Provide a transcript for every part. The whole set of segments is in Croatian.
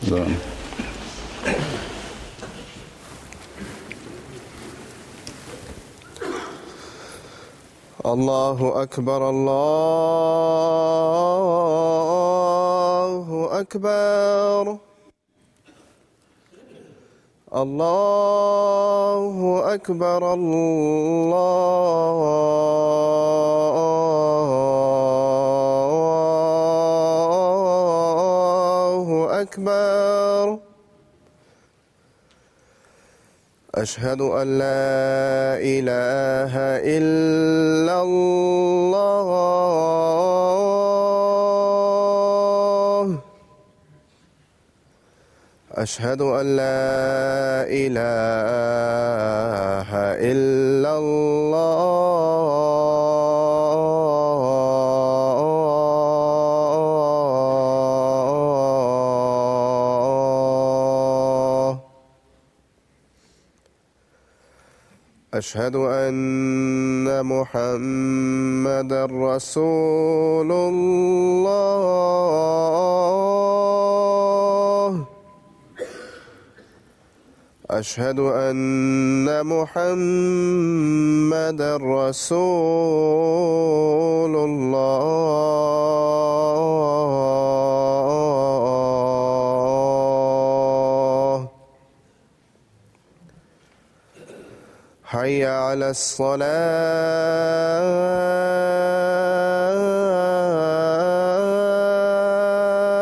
Da. Allahu akbar, Allahu akbar. Allahu akbar, Allahu akbar. أشهد أن لا إله إلا الله. أشهد أن لا إله إلا الله. أشهد أن محمدًا رسول الله. أشهد أن محمدًا رسول الله. حي على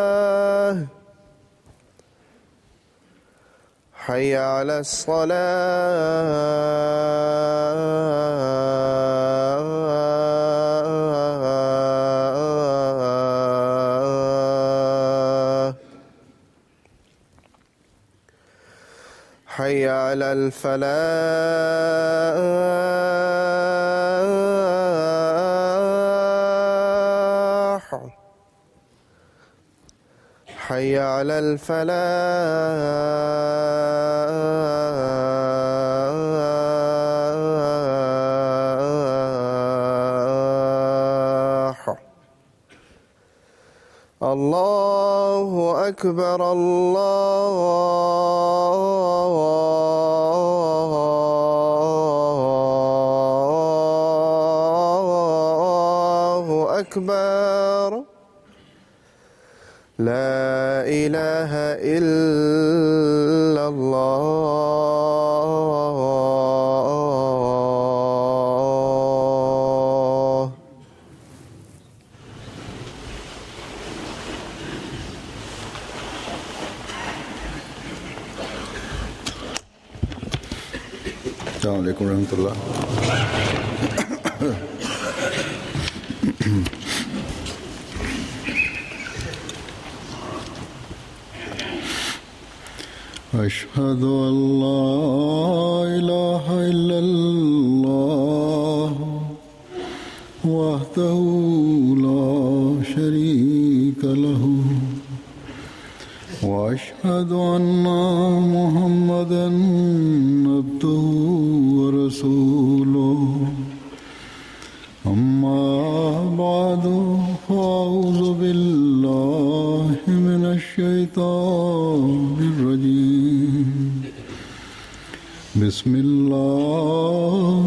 الصلاة. حي على الصلاة. حي على الفلاح. حي على الفلاح. الله أكبر، الله أكبر. لا إله إلا الله. السلام عليكم ورحمة الله. أشهد أن لا إله إلا الله وحده لا شريك له وأشهد أن محمدًا عبده ورسوله. أما بعد فأعوذ بالله من الشيطان الرجيم. بسم الله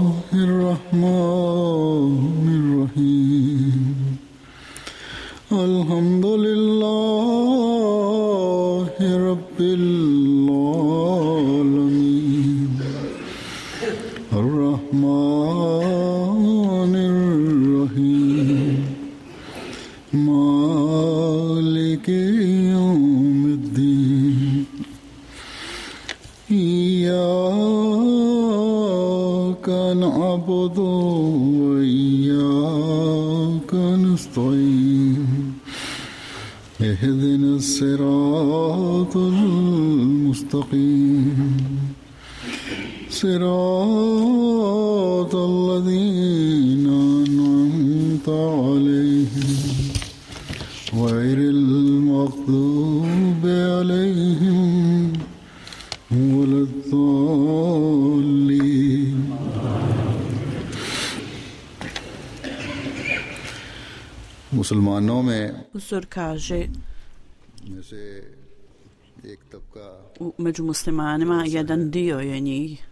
الرحمن الرحيم. الحمد لله رب العالمين. الرحمن الرحيم. مالك يوم الدين. إياك نعبد وإياك نستعين. اهدنا الصراط المستقيم. صراط الذين أنعمت عليهم غير المغضوب عليهم ولا الضالين. मुसलमानों में Uzor kaže, एक तबका među muslimanima, jedan dio je njih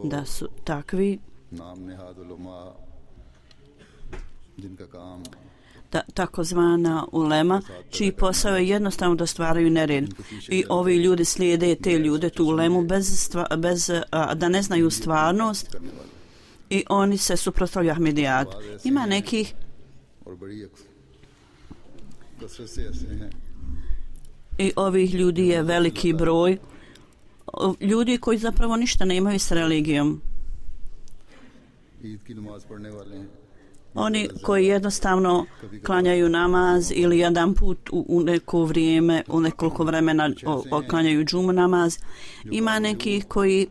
da su takvi नाम नेहाद उलमा जिनका काम takozvana ulema, čiji posao je jednostavno da stvaraju nered. I ovi ljudi slijede te ljude, tu ulemu, bez da ne znaju stvarnost i oni se suprotstavljaju Ahmedijatu. Ima nekih i ovih ljudi je veliki broj, ljudi koji zapravo ništa nemaju s religijom. Oni koji jednostavno klanjaju namaz ili jedan put u neko vrijeme, u nekoliko vremena klanjaju džumu namaz. Ima nekih koji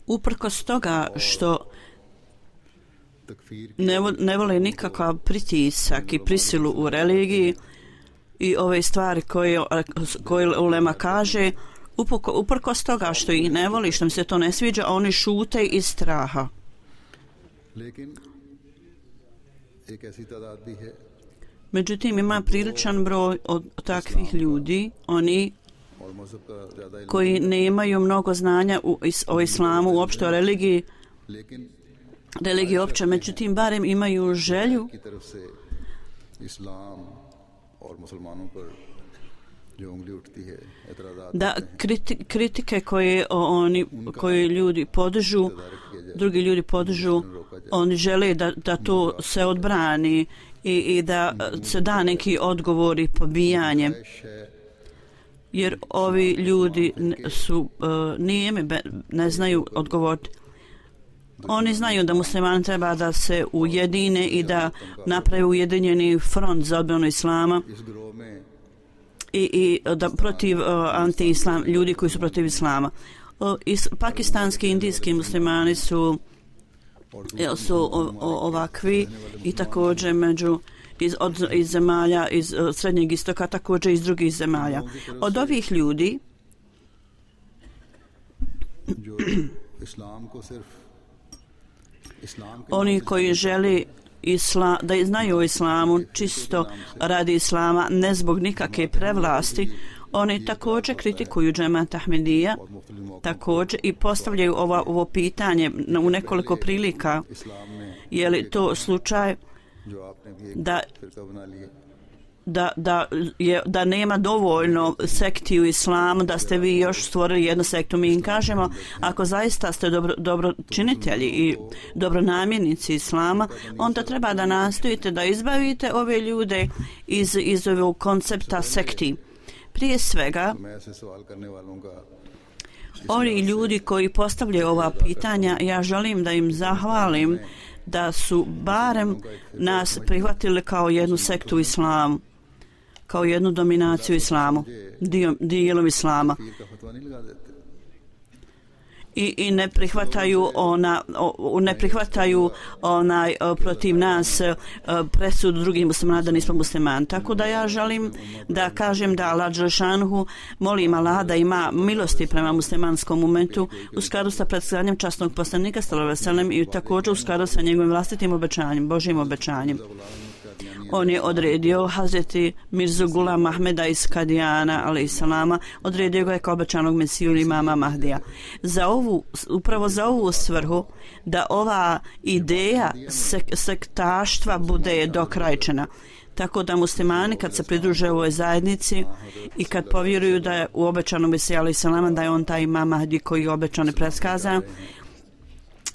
uprkos toga što ne vole nikakav pritisak i prisilu u religiji i ove stvari koje ulema kaže, uprkos toga što ih ne voli, što mi se to ne sviđa, oni šute iz straha. Međutim, ima priličan broj od takvih ljudi, oni koji nemaju mnogo znanja o islamu, uopšte o religiji opće, međutim, barem imaju želju da kritike koje ljudi podižu, drugi ljudi podižu, oni žele da to se odbrani i da se da neki odgovori pobijanje, jer ovi ljudi su nijemi, ne znaju odgovoriti. Oni znaju da muslimani treba da se ujedine i da naprave ujedinjeni front za odbranu islama i da protiv anti-islam, ljudi koji su protiv islama. Pakistanski i indijski muslimani su ovakvi i također iz zemalja iz Srednjeg istoka, također iz drugih zemalja. Od ovih ljudi oni koji želi da znaju o islamu čisto radi islama, ne zbog nikakve prevlasti, oni također kritikuju džemat Ahmedija, također i postavljaju ovo pitanje u nekoliko prilika. Je li to slučaj da nema dovoljno sekti u islamu, da ste vi još stvorili jednu sektu? Mi im kažemo, ako zaista ste dobročinitelji i dobronamjernici islama, onda treba da nastojite da izbavite ove ljude iz ovog koncepta sekti. Prije svega, oni ljudi koji postavljaju ova pitanja, ja želim da im zahvalim da su barem nas prihvatili kao jednu sektu u islamu, kao jednu dominaciju islamu, dijelom islama. I ne prihvataju protiv nas presudu drugih muslimana da nismo muslimani. Tako da ja želim da kažem da Allah dželešanuhu, molim Allah da ima milosti prema muslimanskom momentu u skladu sa predstavljanjem časnog poslanika sallallahu alejhi ve sellem i također u skladu sa njegovim vlastitim obećanjem, Božjim obećanjem. On je odredio Hazreti Mirzu Gulam Ahmeda iz Kadijana, alejselama, odredio ga je kao obećanog mesiju ili imama Mahdija. Upravo za ovu svrhu da ova ideja sektaštva bude dokrajčena. Tako da muslimani kad se pridruže ovoj zajednici i kad povjeruju da je u obećanom mesiju alejselama, da je on taj imam Mahdi koji je obećan i predskazan,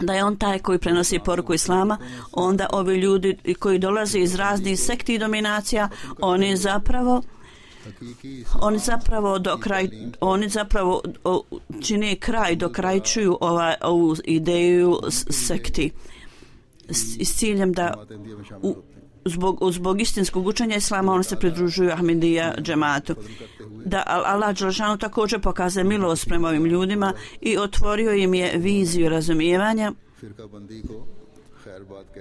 da je on taj koji prenosi poruku islama, onda ovi ljudi koji dolaze iz raznih sekti i dominacija, oni zapravo čine kraj, dokrajčuju ovu ideju sekti s ciljem da zbog istinskog učenja islama oni se pridružuju Ahmedija džematu. Da Allah dželešanu također pokazuje milost prema ovim ljudima i otvorio im je viziju razumijevanja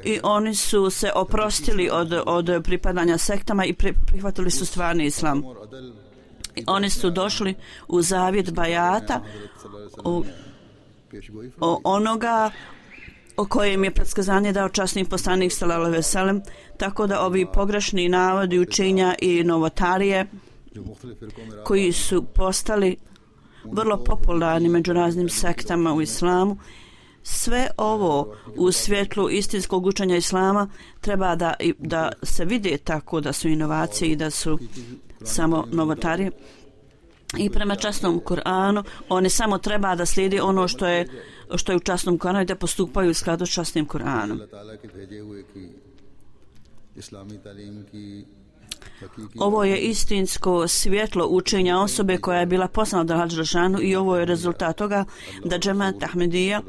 i oni su se oprostili od pripadanja sektama i prihvatili su stvarni islam. I oni su došli u zavjet bajata onoga o kojem je predskazanje dao časni poslanik sallallahu alejhi ve sellem, tako da ovi pogrešni navodi učenja i novotarije koji su postali vrlo popularni među raznim sektama u islamu, sve ovo u svjetlu istinskog učenja islama treba da se vide tako da su inovacije i da su samo novotarije. I prema časnom Kur'anu oni samo treba da slijedi ono što je u časnom Kur'anu i da postupaju u skladu s časnim Kur'anom. Ovo je istinsko svjetlo učenja osobe koja je bila poslana od Allaha dželešanu i ovo je rezultat toga da džemat Ahmedija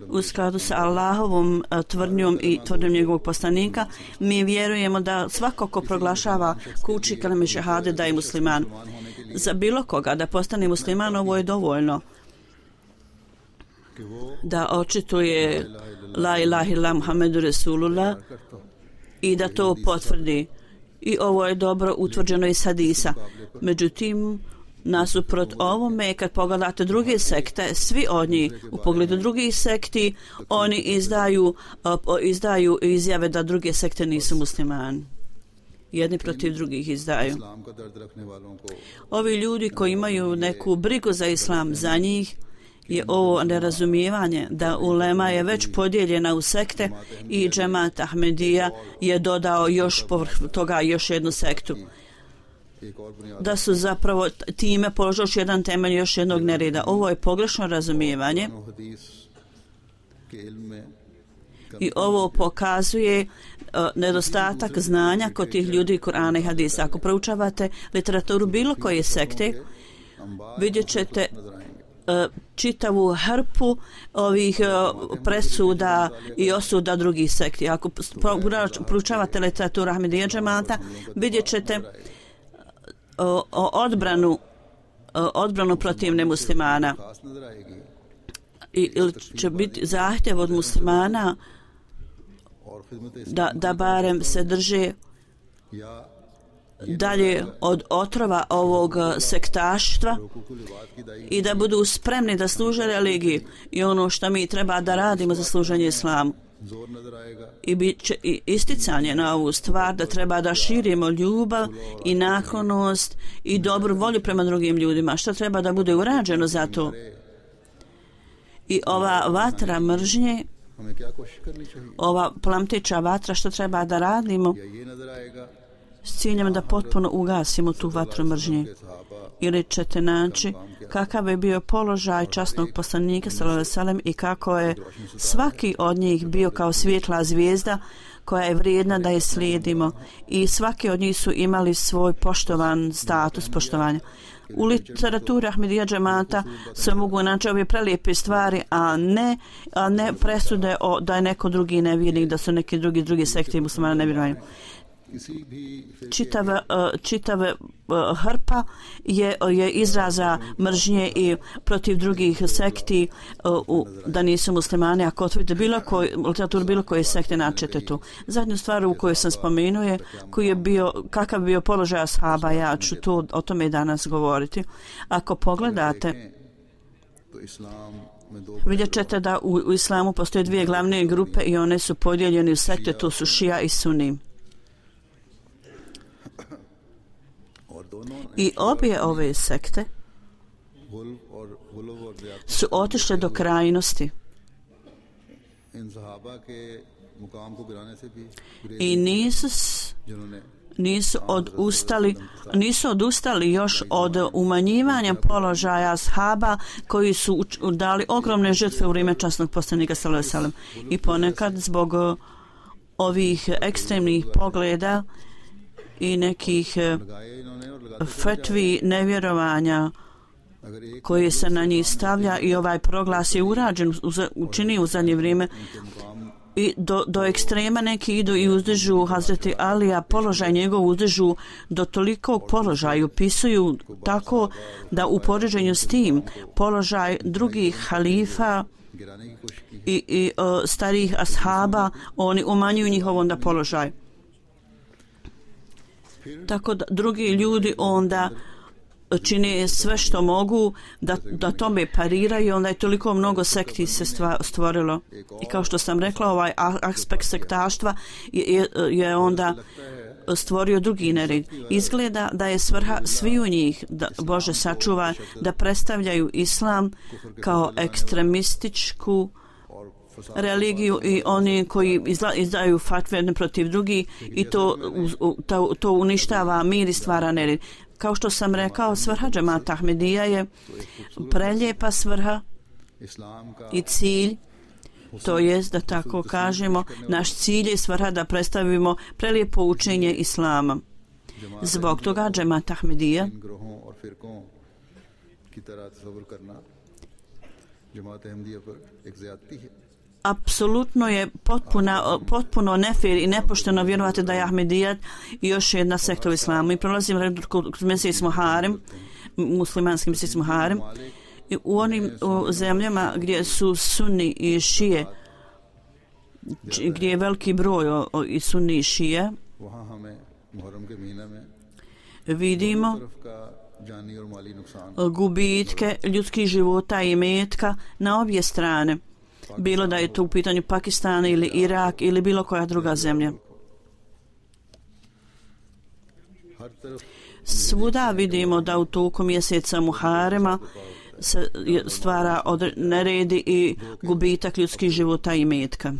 u skladu sa Allahovom tvrdnjom i tvrdnjom njegovog poslanika mi vjerujemo da svako ko proglašava ko uči kalime šehade da je musliman. Za bilo koga da postane musliman ovo je dovoljno da očituje la ilaha illallah Muhammedu Rasulullah i da to potvrdi. I ovo je dobro utvrđeno iz hadisa. Međutim, nasuprot ovome, kad pogledate druge sekte, svi od njih u pogledu drugih sekti, oni izdaju izjave da druge sekte nisu muslimani. Jedni protiv drugih izdaju. Ovi ljudi koji imaju neku brigu za islam, za njih je ovo nerazumijevanje da ulema je već podijeljena u sekte i džemat Ahmedija je dodao još povrh toga još jednu sektu. Da su zapravo time položili još jedan temelj još jednog nereda. Ovo je pogrešno razumijevanje i ovo pokazuje nedostatak znanja kod tih ljudi Kur'ana i hadisa. Ako proučavate literaturu bilo koje sekte, vidjet ćete čitavu hrpu ovih presuda i osuda drugih sekti. Ako proučavate literaturu Ahmedija džemata, vidjet ćete odbranu protiv nemuslimana. Ili će biti zahtjev od muslimana da barem se drže dalje od otrova ovog sektaštva i da budu spremni da služe religiji i ono što mi treba da radimo za služenje islamu. I bit će i isticanje na ovu stvar da treba da širimo ljubav i naklonost i dobru volju prema drugim ljudima. Što treba da bude urađeno za to? I ova vatra mržnje, ova plamteća vatra, što treba da radimo s ciljem da potpuno ugasimo tu vatru mržnje? Ili ćete naći kakav je bio položaj časnog poslanika sallallahu alejhi ve sellem i kako je svaki od njih bio kao svjetla zvijezda koja je vrijedna da je slijedimo i svaki od njih su imali svoj poštovan status poštovanja. U literaturi Ahmedija džemata se mogu naći ove prelijepe stvari, a ne presude da je neko drugi nevjernik, da su neki drugi sekte muslimana nevjerni. Čitava hrpa je izraza mržnje i protiv drugih sekti da nisu muslimani. Ako otvorite literaturu bilo koje sekte, naćete tu. Zadnju stvar u kojoj sam spomenuo je kakav je bio položaj ashaba. Ja ću o tome danas govoriti. Ako pogledate, vidjet ćete da u islamu postoje dvije glavne grupe i one su podijeljene u sekte, to su šija i suni. I obje ove sekte su otišle do krajnosti i nisu odustali još od umanjivanja položaja ashaba koji su dali ogromne žrtve u vrijeme časnog poslanika sallallahu alejhi ve sellem. I ponekad zbog ovih ekstremnih pogleda i nekih fetvi nevjerovanja koji se na njih stavlja i ovaj proglas je učinio u zadnje vrijeme i do ekstrema neki idu i uzdižu Hazreti Alija, položaj njegov uzdižu do tolikog položaja, upisuju tako da u poređenju s tim položaj drugih halifa i starih ashaba oni umanjuju njihov onda položaj. Tako da drugi ljudi onda čine sve što mogu da tome pariraju, onda je toliko mnogo sekti se stvorilo. I kao što sam rekla, ovaj aspekt sektaštva je onda stvorio drugi nered. Izgleda da je svrha sviju njih, da Bože sačuva, da predstavljaju islam kao ekstremističku religiju i oni koji izdaju fatve protiv drugih i to uništava mir i stvara nered. Kao što sam rekao, svrha džemata Ahmedija je prelijepa svrha i cilj, to jest da tako kažemo, naš cilj je svrha da predstavimo prelijepo učenje islama. Zbog toga džemat Ahmedija apsolutno je potpuno nefir i nepošteno vjerovati da je Ahmedijat još jedna sekta u islamu. I prolazim kroz mjesec Muharem, muslimanski mjesec Muharem, i u onim zemljama gdje su sunni i šije, gdje je veliki broj i sunni i šije, vidimo gubitke ljudskih života i metka na obje strane. Bilo da je to u pitanju Pakistana ili Irak ili bilo koja druga zemlja. Svuda vidimo da u toku mjeseca Muharema se stvara neredi i gubitak ljudskih života i metka.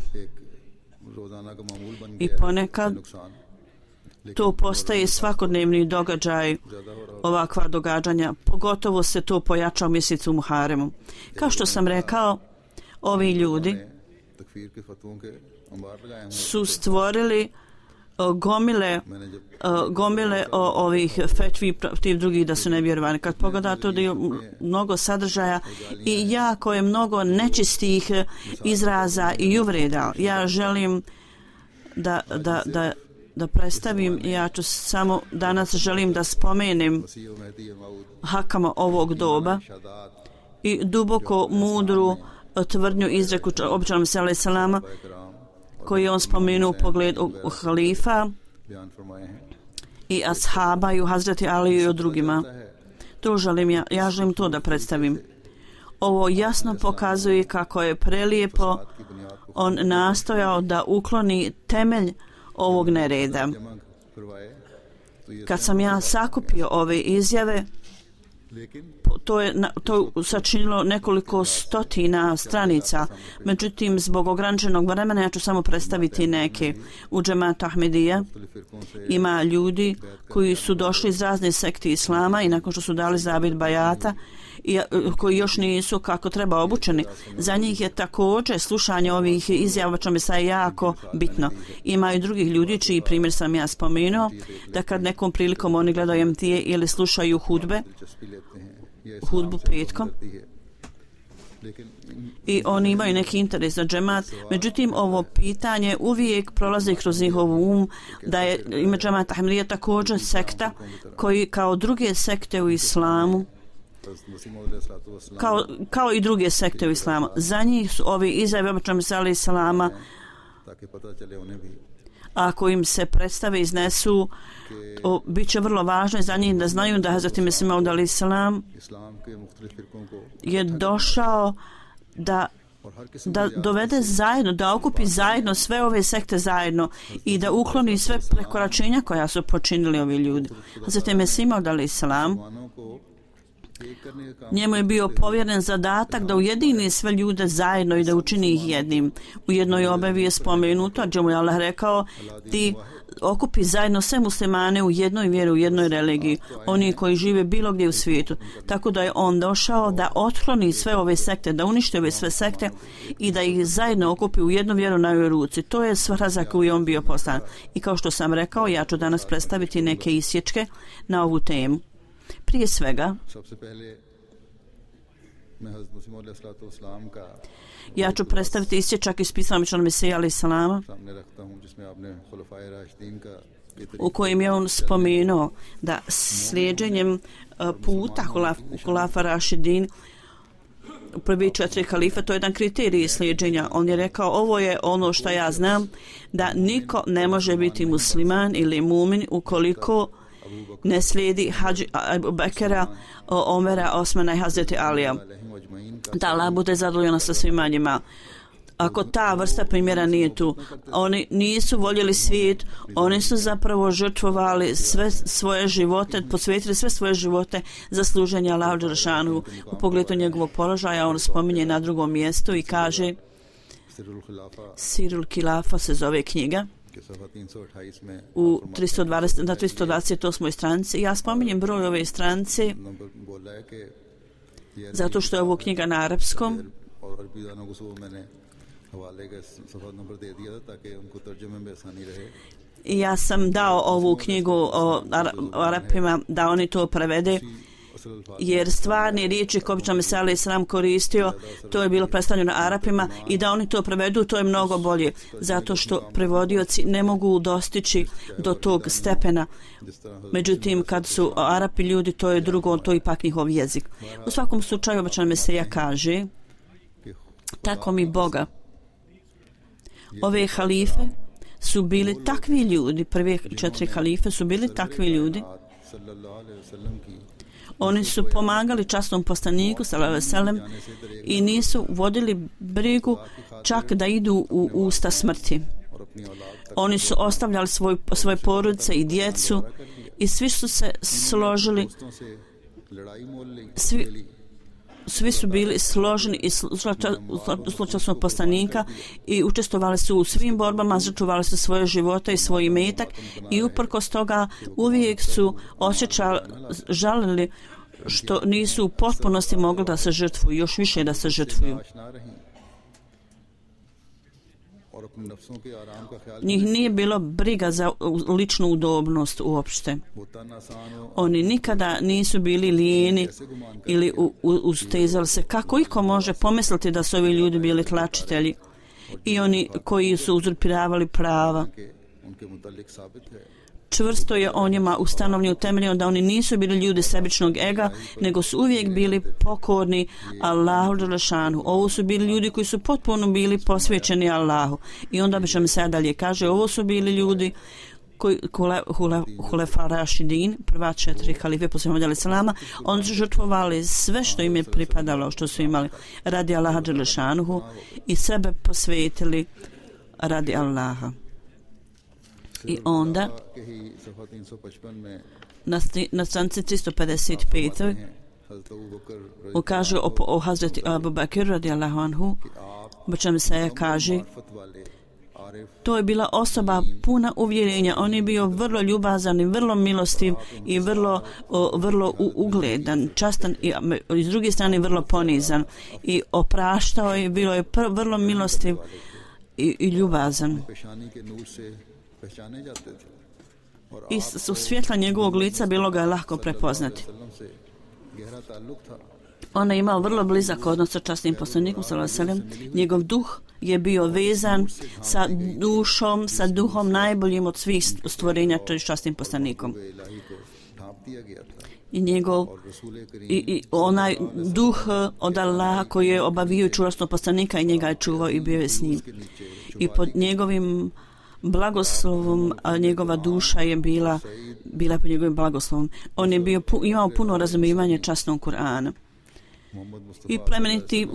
I ponekad to postaje svakodnevni događaj, ovakva događanja, pogotovo se to pojača u mjesecu Muharemu. Kao što sam rekao, ovi ljudi su stvorili gomile ovih fetvi protiv drugih da su nevjerovani. Kad pogledate da je mnogo sadržaja i jako je mnogo nečistih izraza i uvreda. Ja želim da predstavim, ja ću samo danas želim da spomenem hakama ovog doba i duboko mudru tvrdnju izreku običanom sallallahu salama koji je on spomenuo u pogledu halifa i ashaba i u Hazreti Aliju i o drugima. To želim ja želim to da predstavim. Ovo jasno pokazuje kako je prelijepo on nastojao da ukloni temelj ovog nereda. Kad sam ja sakupio ove izjave, to sačinilo nekoliko stotina stranica. Međutim, zbog ograničenog vremena ja ću samo predstaviti neke. U džematu Ahmedija ima ljudi koji su došli iz razne sekte islama i nakon što su dali zavet bajata i koji još nisu kako treba obučeni. Za njih je također slušanje ovih izjava čome je jako bitno. Ima i drugih ljudi čiji primjer sam ja spomenuo, da kad nekom prilikom oni gledaju MTA ili slušaju hudbu petkom i oni imaju neki interes za džemat. Međutim, ovo pitanje uvijek prolazi kroz njihov um da je ime džemat Ahmedija također sekta koji kao druge sekte u islamu kao i druge sekte u islamu. Za njih su ovi izjave običajno sallallahu salama, ako im se predstave iznesu, bit će vrlo važno za njih da znaju da Hazreti Mesih Maud alejhi salam je došao da dovede zajedno, da okupi zajedno sve ove sekte zajedno i da ukloni sve prekoračenja koja su počinili ovi ljudi. Hazreti Mesih Maud alejhi salam, njemu je bio povjeren zadatak da ujedini sve ljude zajedno i da učini ih jednim. U jednoj objavi je spomenuto, gdje mu je Allah rekao, ti okupi zajedno sve muslimane u jednoj vjeri, u jednoj religiji, oni koji žive bilo gdje u svijetu. Tako da je on došao da otkloni sve ove sekte, da uništi ove sve sekte i da ih zajedno okupi u jednu vjeru na ovoj ruci. To je svrha za koju je on bio poslan. I kao što sam rekao, ja ću danas predstaviti neke isječke na ovu temu. Prije svega, ja ću predstaviti isječak iz pisama običanog Mesija alejhi salama u kojem je on spomenuo da slijeđenjem puta Hulafa Rašidin, prvi 4 kalifa, to je jedan kriterij slijeđenja. On je rekao, ovo je ono što ja znam, da niko ne može biti musliman ili mumin ukoliko ne slijedi Hadži Abu Bekera, Omera, Osmana i Hazreti Alija. Da Allah bude zadovoljan sa svima njima. Ako ta vrsta primjera nije tu, oni nisu voljeli svijet, oni su zapravo žrtvovali sve svoje živote, posvetili sve svoje živote za služenje Allahu dželešanu. U pogledu njegovog položaja on spominje na drugom mjestu i kaže, Sirul Kilafa se zove knjiga, u 328. stranici. Ja spominjem broj ove stranice zato što je ovo knjiga na arapskom. I ja sam dao ovu knjigu o Arapima da oni to prevede, jer stvarne riječi koje obično Mesija alejhi selam koristio, to je bilo predstavljeno Arapima, i da oni to prevedu, to je mnogo bolje, zato što prevodioci ne mogu dostići do tog stepena. Međutim, kad su Arapi ljudi, to je drugo, to je ipak njihov jezik. U svakom slučaju, obično Mesija kaže, tako mi Boga, ove halife su bili takvi ljudi, prve 4 halife su bili takvi ljudi. Oni su pomagali časnom poslaniku sallallahu alejhi ve sellem i nisu vodili brigu čak da idu u usta smrti. Oni su ostavljali svoje porodice i djecu i svi su se složili, svi su bili složeni i slučajnog poslanika i učestvovali su u svim borbama, žrtvovali su svoje živote i svoj imetak i uprkos toga uvijek su žalili što nisu u potpunosti mogli da se žrtvuju, još više da se žrtvuju. Njih nije bilo briga za ličnu udobnost uopšte. Oni nikada nisu bili lijeni ili ustezali se. Kako iko može pomisliti da su ovi ljudi bili tlačitelji i oni koji su uzurpiravali prava? Čvrsto je o njima ustanovljeno, utemeljeno da oni nisu bili ljudi sebičnog ega, nego su uvijek bili pokorni Allahu dželešanu. Ovo su bili ljudi koji su potpuno bili posvećeni Allahu. I onda bi se sad dalje kaže, ovo su bili ljudi koji Hulefa Rašidin, prva 4 halife poslije Muhameda alejhi selama, oni su žrtvovali sve što im je pripadalo, što su imali radi Allaha dželešanu i sebe posvetili radi Allaha. I onda na stranici 355 kaže o Hazreti Abu Bakr radijallahu anhu, bačem se kaže, to je bila osoba puna uvjerenja, on je bio vrlo ljubazan i vrlo milostiv i vrlo ugledan, častan i s druge strane vrlo ponizan i opraštao je, bilo je vrlo milostiv i ljubazan. I u svjetla njegovog lica bilo ga je lahko prepoznati. On je imao vrlo blizak odnos sa časnim poslanikom sallallahu alejhi ve sellem. Njegov duh je bio vezan sa dušom, sa duhom najboljim od svih stvorenja, časnim poslanikom. I onaj duh od Allaha koji je obavio čuvstvo poslanika i njega je čuvao i bio je s njim. I pod njegovim blagoslovom, a njegova duša je bila pod njegovim blagoslovom. On je imao puno razumijevanje časnog Kur'ana. I plemeniti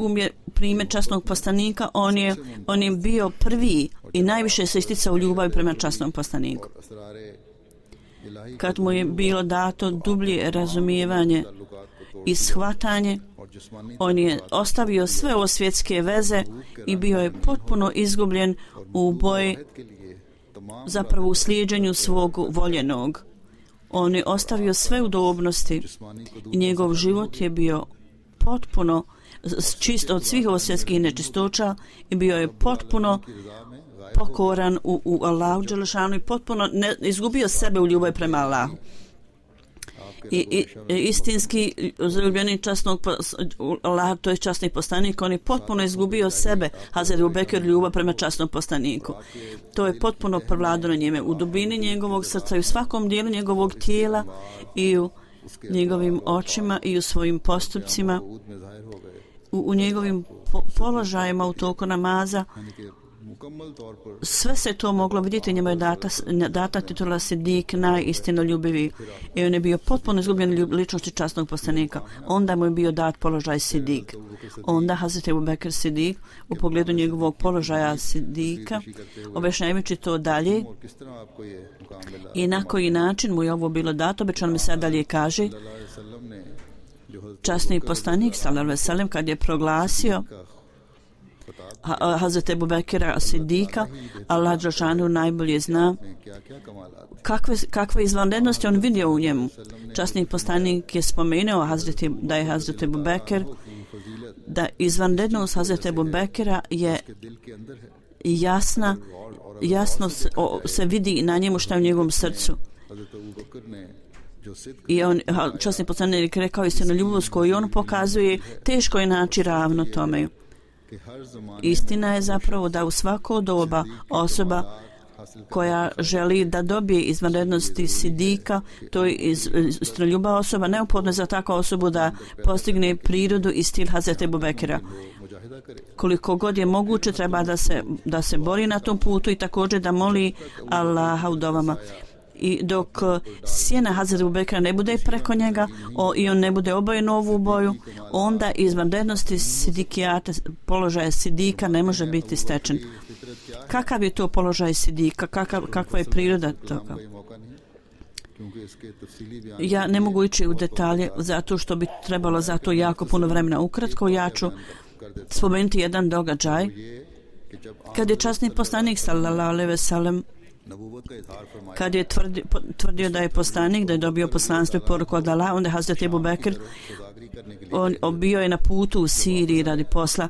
primjer časnog poslanika, on je bio prvi i najviše se isticao u ljubavi prema časnom poslaniku. Kad mu je bilo dato dublje razumijevanje i shvatanje, on je ostavio sve ovo svjetske veze i bio je potpuno izgubljen u boji, zapravo u slijeđenju svog voljenog. On je ostavio sve udobnosti i njegov život je bio potpuno čist od svih svjetskih nečistoća i bio je potpuno pokoran u Allahu dželešanu i potpuno izgubio sebe u ljubavi prema Allahu. I istinski zaljubljeni časnog Allah, to je časni poslanik, on je potpuno izgubio sebe, Hazreti Abu Bekr, ljubav prema časnom poslaniku. To je potpuno prevladano njime u dubini njegovog srca i u svakom dijelu njegovog tijela i u njegovim očima i u svojim postupcima, u njegovim položajima u toku namaza. मुकम्मल तौर पर sve se to moglo vidjeti, njemu je data titula Sidik, najistinoljubivi, i on je bio potpuno izgubljen ličnosti časnog poslanika. Onda mu je bio dat položaj Sidik. Onda Hazreti Ebu Bekr Sidik u pogledu njegovog položaja Sidika, objašnjavajući to dalje और किस तरह आपको ये मुकाम मिला। i na koji način mu je ovo bilo dato, obećano mi sad dalje kaže, सल्लल्लाहु अलैहि वसल्लम ने जो हज़रत časni poslanik sallallahu alejhi ve sellem kad je proglasio Hazreti Ebu Bekira Sidika, Allah dželešanu najbolje zna में क्या-क्या कमालात kakve izvanrednosti on vidio u njemu. Časni poslanik je spomenuo da je Hazreti Ebu Bekir, da izvanrednost Hazreti Ebu Bekira je के दिल के अंदर है। jasno se vidi na njemu šta je u njegovom srcu. हज़रत अबू बकर ने जो सिद्क I on, časni poslanik rekao, istinoljubivost koju on pokazuje, teško je naći ravno tome. के हर ज़माने Istina je zapravo da u svako doba osoba हासिल koja želi da dobije izvanrednosti Sidika, to je istinoljubiva osoba, neophodno je za takvu osobu da postigne prirodu i stil Hazreti Ebu Bekira. मुजाहिदा करे। Koliko god je moguće treba da se bori na tom putu i također da moli Allaha u dovama. I dok sjena Hazreti Ebu Bekira ne bude preko njega i on ne bude obojen u ovu boju, onda izvanrednosti sidikijata, položaja Sidika ne može biti stečen. Kakav je to položaj Sidika? Kakva je priroda toga? ये मौका नहीं क्योंकि इसके तफसीली बयान Ja ne mogu ići u detalje zato što bi trebalo za to jako puno vremena. Ukratko ja ću spomenuti jedan događaj ये कि जब kad je časni poslanik sallallahu alejhi ve sellem नबूवत का इज़हार फरमाया kad je tvrdio da je poslanik, da je dobio poslanstvo i poruku od Allaha, onda je Hazreti Ebu Bekr, खुदागरी करने के लिए on bio je na putu u Siriji radi posla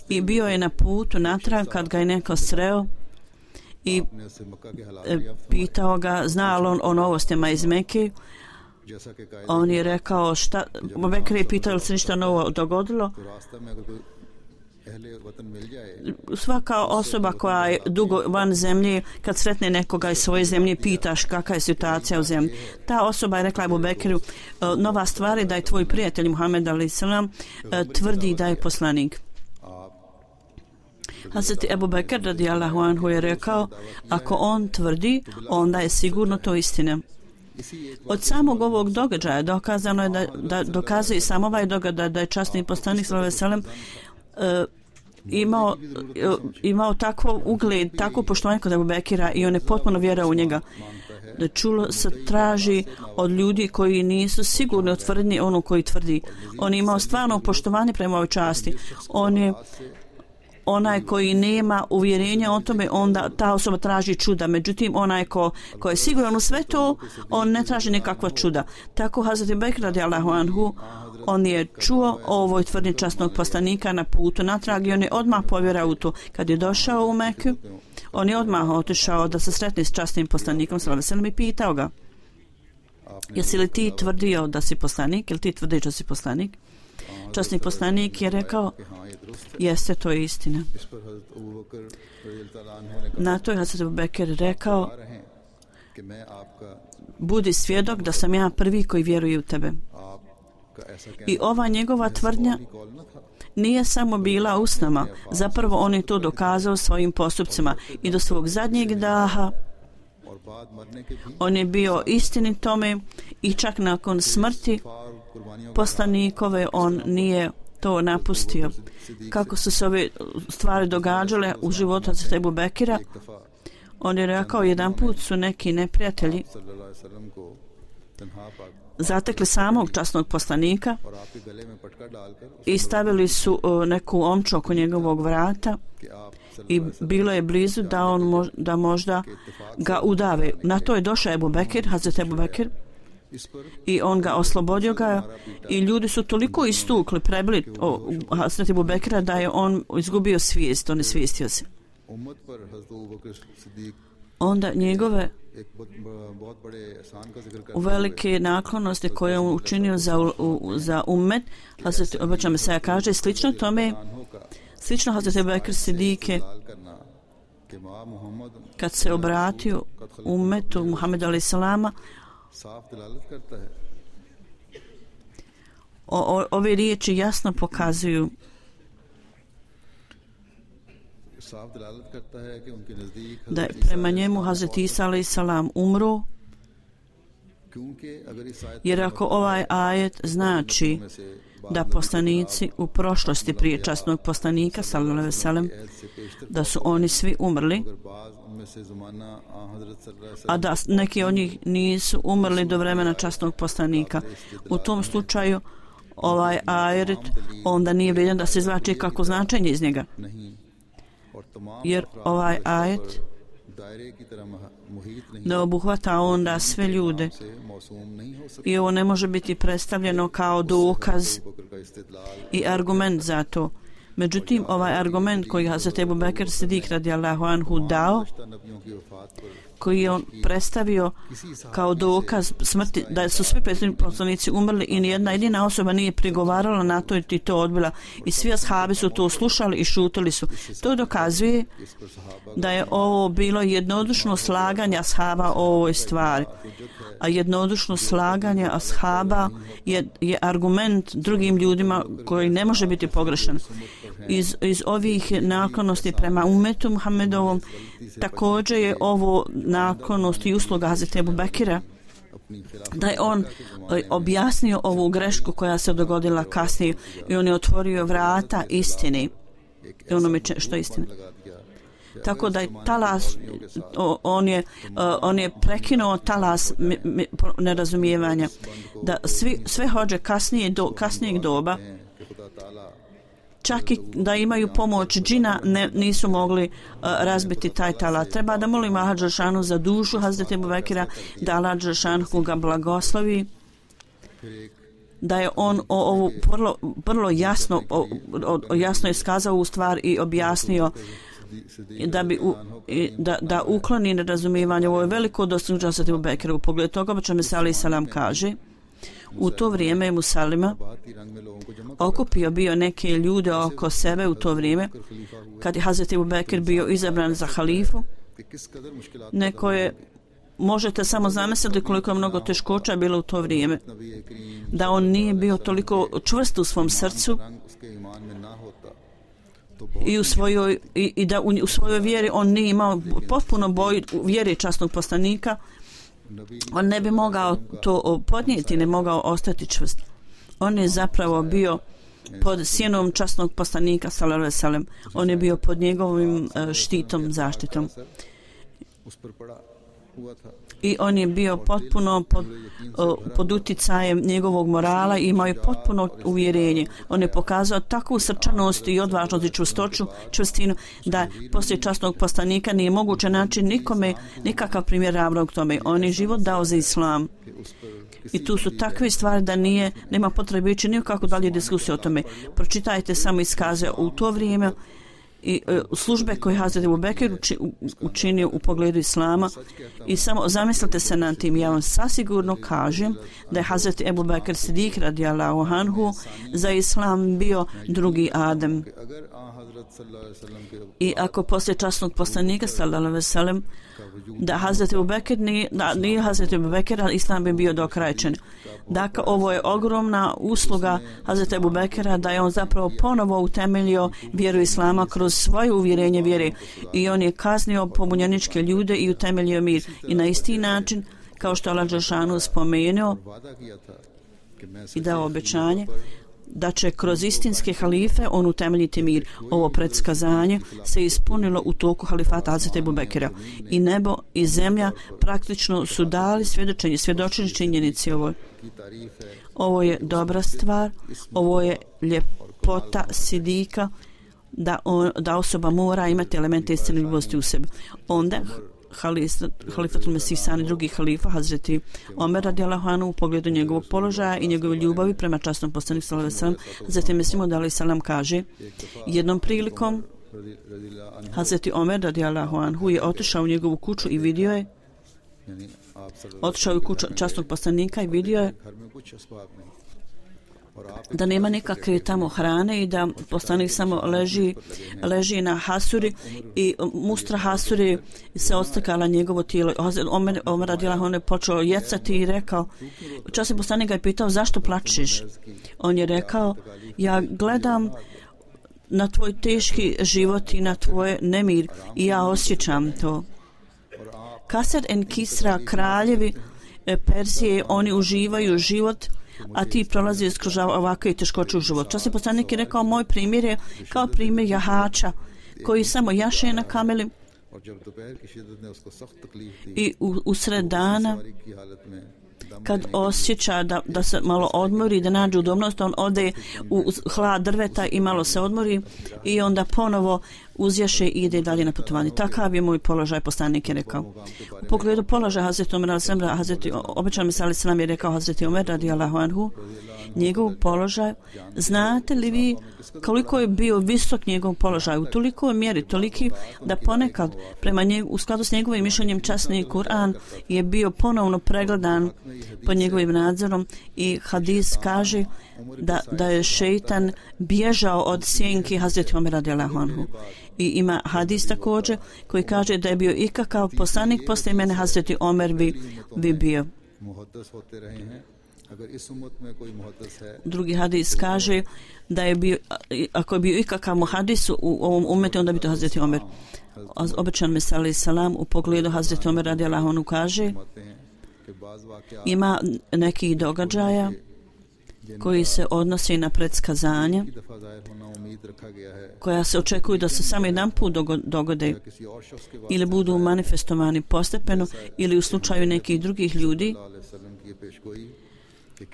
i bio je na putu natrag kad ga je neko sreo i ने उससे मक्का के हालात pitao ga zna li on o novostima iz Mekke. जैसा कि कायदे On je rekao šta, Ebu Bekr je pitao li se ništa novo dogodilo. तो रास्ता में अगर कोई अहले वतन मिल जाए Svaka osoba koja je dugo van zemlje, kad sretne nekoga iz svoje zemlje, pitaš kakva je situacija u zemlji. Ta osoba je rekla Ebu Bekiru, nova stvar je da je tvoj prijatelj Muhammed a.s. tvrdi da je poslanik. Hazreti Ebu Bekr radijallahu anhu je rekao, ako on tvrdi, onda je sigurno to istina. Od samog ovog događaja dokazano je da dokazuje sam ovaj događaj da je časni poslanik sallallahu alejhi ve sellem imao takvo ugled, takvo poštovanje kod Ebu Bekira i on je potpuno vjerao u njega. Da čulo se traži od ljudi koji nisu sigurni o tvrdnji ono koji tvrdi. On je imao stvarno poštovanje prema ovoj časti. On je onaj koji nema uvjerenja o tome, onda ta osoba traži čuda. Međutim, onaj ko je siguran u sve to, on ne traži nikakva čuda. Tako Hazreti Bekr radijallahu anhu, on je čuo o ovoj tvrdnji časnog poslanika na putu natrag i on je odmah povjerao u to. Kad je došao u Meku, on je odmah otišao da se sretne s časnim poslanikom sallallahu alejhi ve sellem i pitao ga: jesi li ti tvrdio da si poslanik? Jel ti tvrdiš da si poslanik? Časni poslanik je rekao: jeste, to je istina. Na to je Hazreti Ebu Bekr rekao: budi svjedok da sam ja prvi koji vjeruje u tebe. I ova njegova tvrdnja nije samo bila usnama, zapravo on je to dokazao svojim postupcima i do svog zadnjeg daha on je bio istinit tome i čak nakon smrti poslanikove on nije to napustio. Kako su se ove stvari događale u životu Hazreti Ebu Bekira, on je rekao, jedan put su neki neprijatelji zatekli samog časnog poslanika i stavili su neku omču oko njegovog vrata i bilo je blizu da možda ga udave. Na to je došao Ebu Bekir, Hazreti Ebu Bekir, i on ga oslobodio ga i ljudi su toliko istukli, prebili Hazreti Ebu Bekira da je on izgubio svijest, on je svijestio se. Onda njegove velike naklonosti koje je on učinio za ummet, Hazreti Obeća Mesaja kaže, slično tome, slično Hazreti Ebu Bekir Sidike, kad se obratio ummetu Muhammedu a.s. Ove riječi jasno pokazuju da je prema njemu Hazreti Isa a.s. umro, jer ako ovaj ajet znači da poslanici u prošlosti prije časnog poslanika sallallahu alejhi ve sellem da su oni svi umrli, a da neki od njih nisu umrli do vremena časnog poslanika, u tom slučaju ovaj ajet onda nije vrijedan da se izvlači kako značenje iz njega, jer ovaj ajet ne obuhvata onda sve ljude i ovo ne može biti predstavljeno kao dokaz i argument za to. Međutim, ovaj argument koji Hazreti Ebu Bekr Sidik radijallahu anhu dao, koji je on predstavio kao dokaz smrti, da su svi prethodni poslanici umrli i nijedna jedina osoba nije prigovarala na to i to odbila i svi ashabi su to slušali i šutili su. To dokazuje da je ovo bilo jednodušno slaganje ashaba o ovoj stvari. A jednodušno slaganje ashaba je argument drugim ljudima koji ne može biti pogrešan. Iz ovih naklonosti prema umetu Muhammedovom također je ovo naklonost i usluga Hazreti Ebu Bekira, da je on objasnio ovu grešku koja se dogodila kasnije i on je otvorio vrata istini i onome što je istina. Tako da je talas, on je prekinuo talas nerazumijevanja, da sve hođe kasnijeg doba, čak i da imaju pomoć džina, nisu mogli razbiti taj talas. Treba da molimo Allah dželešanu za dušu Hazreti Ebu Bekira, da Allah dželešanu ga blagoslovi, da je on ovo vrlo jasno iskazao u stvar i objasnio da ukloni nerazumijevanje. Ovo je veliko dostignuće Hazreti Ebu Bekira. U pogledu toga Obećani Mesih alejhi selam kaže, u to vrijeme je Musalima okupio bio neke ljude oko sebe u to vrijeme kad je Hazreti Ebu Bekir bio izabran za halifu. Neko je, možete samo zamisliti koliko je mnogo teškoća bilo u to vrijeme, da on nije bio toliko čvrst u svom srcu i da u svojoj vjeri on nije imao potpuno boj vjeri časnog poslanika, on ne bi mogao to podnijeti, ne mogao ostati čvrst. On je zapravo bio pod sjenom časnog poslanika sallallahu alejhi ve sellem. On je bio pod njegovim štitom, zaštitom. I on je bio potpuno pod uticajem njegovog morala i imao je potpuno uvjerenje. On je pokazao takvu srčanost i odvažnost i čvrstinu da poslije časnog poslanika nije moguće naći nikome nikakav primjer ravnog tome. On je život dao za islam. I tu su takve stvari da nema potrebe ići nikako dalje diskusije o tome. Pročitajte samo iskaze u to vrijeme i službe koje Hazreti Ebu Bekir učinio u pogledu islama i samo zamislite se nad tim. Ja vam sasigurno kažem da je Hazreti Ebu Bekir Sidik radijallahu anhu za islam bio drugi Adem. I ako poslije časnog poslanika sallallahu alejhi ve sellem da Hazreti Ebu Bekir nije Hazreti Ebu Bekir, islam bi bio dokrajčen. Dakle, ovo je ogromna usluga Hazreti Ebu Bekira da je on zapravo ponovo utemeljio vjeru islama kroz svoje uvjerenje vjere i on je kaznio pobunjeničke ljude i utemeljio mir. I na isti način, kao što Allah dželešanu spomenuo i dao obećanje da će kroz istinske halife on utemeljiti mir. Ovo predskazanje se ispunilo u toku halifata Hazreti Ebu Bekira. I nebo i zemlja praktično su dali svjedočenje činjenici ovoj. Ovo je dobra stvar, ovo je ljepota sidika da osoba mora imati elemente istinljivosti u sebi. Onda halifatul Mesih sani drugi halifa Hazreti Omer radijallahu anhu u pogledu njegovog položaja i njegove ljubavi prema časnom poslaniku sallallahu alejhi ve sellem, zatim Mesih alejhi selam kaže, jednom prilikom Hazreti Omer radijallahu anhu je otišao u njegovu kuću i vidio je, otišao u kuću časnog poslanika i vidio je da nema nikakve tamo hrane i da poslanik samo leži na hasuri i mustra hasuri se odstakala njegovo tijelo. Omer radijallahu anhu je počeo jecati i rekao, časni poslanik ga je pitao zašto plačeš? On je rekao, ja gledam na tvoj teški život i na tvoj nemir i ja osjećam to. Kasad en Kisra, kraljevi Persije, oni uživaju život, a ti prolaziš kroz ovakve teškoće u život. Časni poslanik je rekao, moj primjer je kao primjer jahača koji samo jaše na kameli i usred dana kad osjeća da se malo odmori, da nađe udobnost, on ode u hlad drveta i malo se odmori i onda ponovo uzjaše i ide dalje na putovanje. Takav je moj položaj, poslanik je rekao. U pogledu položaja Hazreti Omer al-Semra, obećan Mesija al-Selam je rekao Hazreti Omer radijallahu anhu, njegov položaj, znate li vi koliko je bio visok njegov položaj, u tolikoj mjeri, toliki da ponekad prema njegu, u skladu s njegovim mišljenjem časni Kur'an je bio ponovno pregledan pod njegovim nadzorom i hadis kaže da je šeitan bježao od sjenki Hazreti Omer radijallahu anhu. I ima hadis također koji kaže da je bio ikakav poslanik poslije mene Hazreti Omer bi bio. Drugi hadis kaže da je bio, ako je bio ikakav muhadis u ovom umetu, onda bi to Hazreti Omer. Obećan Mesija al-Selam u pogledu Hazreti Omer radijallahu anhu kaže, ima nekih događaja koji se odnose na predskazanja koja se očekuju da se samo jedan put dogode ili budu manifestovani postepeno ili u slučaju nekih drugih ljudi,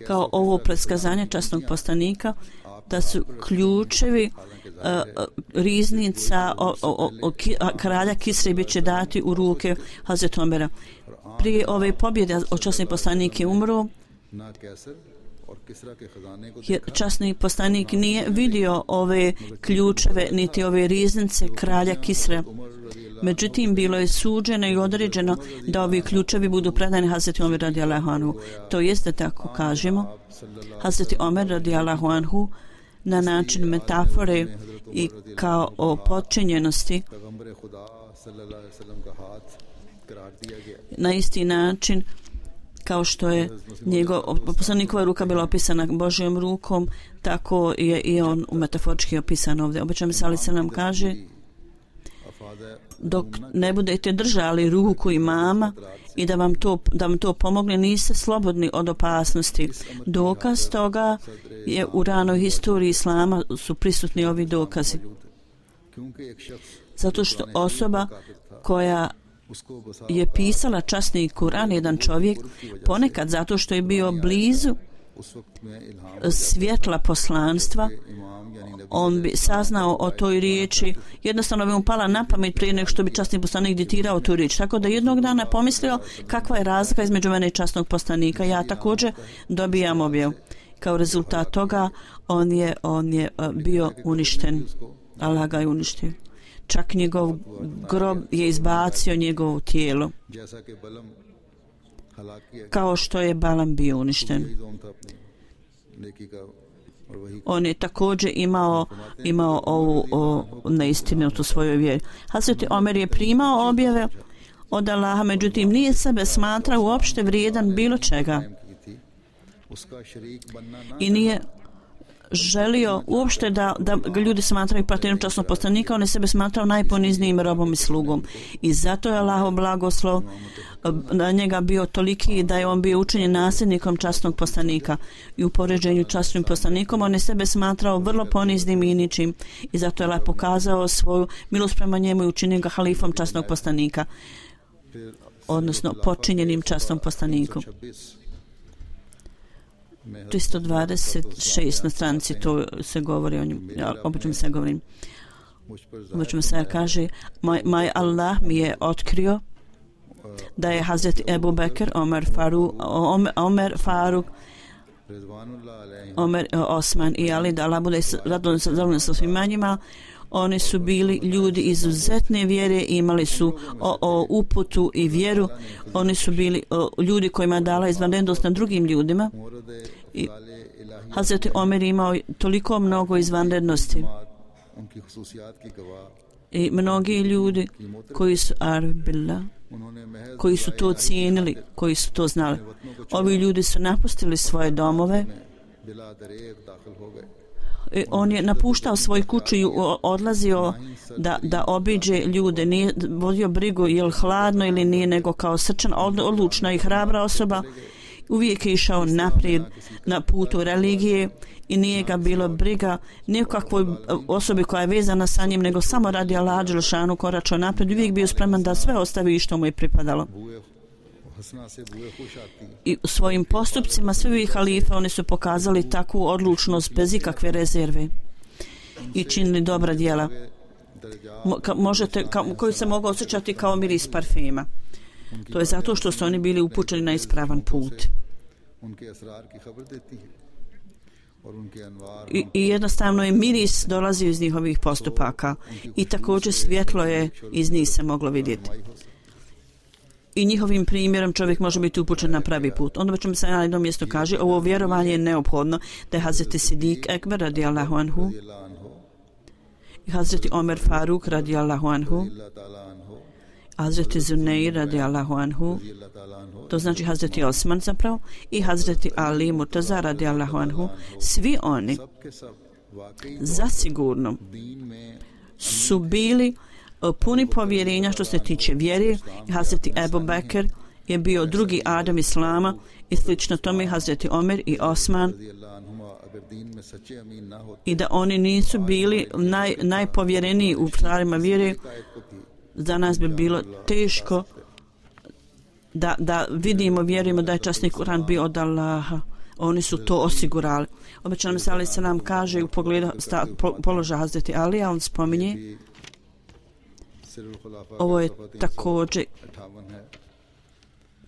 kao ovo predskazanje časnog poslanika da su ključevi riznica kralja Kisre bit će dati u ruke Hazreti Omera. Prije ove pobjede časni poslanik je umro, jer časni poslanik nije vidio ove ključeve niti ove riznice kralja Kisre. Međutim, bilo je suđeno i određeno da ovi ključevi budu predani Hazreti Omer radijallahu anhu. To jest da tako kažemo, Hazreti Omer radijallahu anhu na način metafore i kao o podčinjenosti na isti način kao što je poslanikova ruka bila opisana Božjom rukom, tako je i on metaforički opisan ovdje. Obećan Mesija al-Selam kaže, dok ne budete držali ruku imama i da vam to pomogne, niste slobodni od opasnosti. Dokaz toga je u ranoj historiji Islama su prisutni ovi dokazi. Zato što osoba koja je pisala časni Kur'an, jedan čovjek, ponekad zato što je bio blizu svjetla poslanstva, on bi saznao o toj riječi, jednostavno bi mu pala na pamet prije nego što bi časni poslanik ditirao tu riječ. Tako da jednog dana pomislio kakva je razlika između mene i časnog poslanika. Ja također dobijam objavu. Kao rezultat toga on je bio uništen. Allah ga je uništio. Čak njegov grob je izbacio njegovo tijelo. Kao što je Balam bio uništen. On je također imao ovu neistinu u svojoj vjeri. Hazreti Omer je primao objave od Allaha, međutim nije sebe smatrao uopšte vrijedan bilo čega. I nije želio uopšte da ga ljudi smatraju partnerom časnog poslanika, on je sebe smatrao najponiznijim robom i slugom. I zato je Allahov blagoslov na njega bio toliki da je on bio učinjen nasljednikom časnog poslanika. I u poređenju časnim poslanikom on je sebe smatrao vrlo poniznim i ničim. I zato je Allah pokazao svoju milost prema njemu i učinio ga halifom časnog poslanika, odnosno počinjenim časnom poslanikom. 326 na stranici to se govori o njemu. Ja obično se govorim. Obično se kaže, moj Allah mi je otkrio da je Hazreti Ebu Bekr, Omer Faruk, Omer Osman i Ali, da Allah bude zadovoljan sa svima njima. Oni su bili ljudi izuzetne vjere, imali su uputu i vjeru. Oni su bili ljudi kojima dala izvanrednost na drugim ljudima. I Hazreti Omer imao toliko mnogo izvanrednosti. I mnogi ljudi koji su Arabila, koji su to cijenili, koji su to znali. Ovi ljudi su napustili svoje domove. On je napuštao svoju kuću i odlazio da obiđe ljude. Nije vodio brigu je li hladno ili nije, nego kao srčan, odlučna i hrabra osoba. Uvijek je išao naprijed na putu religije i nije ga bilo briga nikakvoj osobi koja je vezana sa njim, nego samo radi Allaha dželešanu koračao naprijed. Uvijek bio spreman da sve ostavi što mu je pripadalo. I u svojim postupcima svi halife oni su pokazali takvu odlučnost bez ikakve rezerve i činili dobra djela koju se mogu osjećati kao miris parfema. To je zato što su oni bili upućeni na ispravan put. I jednostavno je miris dolazio iz njihovih postupaka i također svjetlo je iz njih se moglo vidjeti. I njihovim primjerom čovjek može biti upućen na pravi put. Onda ćemo se na jednom mjestu kaže, ovo vjerovanje je neophodno da je Hazreti Sidik Ekber radijallahu anhu i Hazreti Omer Faruk radijallahu anhu, Hazreti Zuneir radijallahu anhu, to znači Hazreti Osman zapravo, i Hazreti Ali Murtaza radijallahu anhu, svi oni zasigurno su bili puni povjerenja što se tiče vjere. Hazreti Ebu Bekr je bio drugi Adam Islama i slično tome Hazreti Omer i Osman, i da oni nisu bili najpovjereniji u stvarima vjere, za nas bi bilo teško da vidimo, vjerujemo da je časni Kur'an bio od Allaha. Oni su to osigurali. Obećan Mesija alejhi selam kaže u pogledu položaja Hazreti Alija, on spominje, ovo je također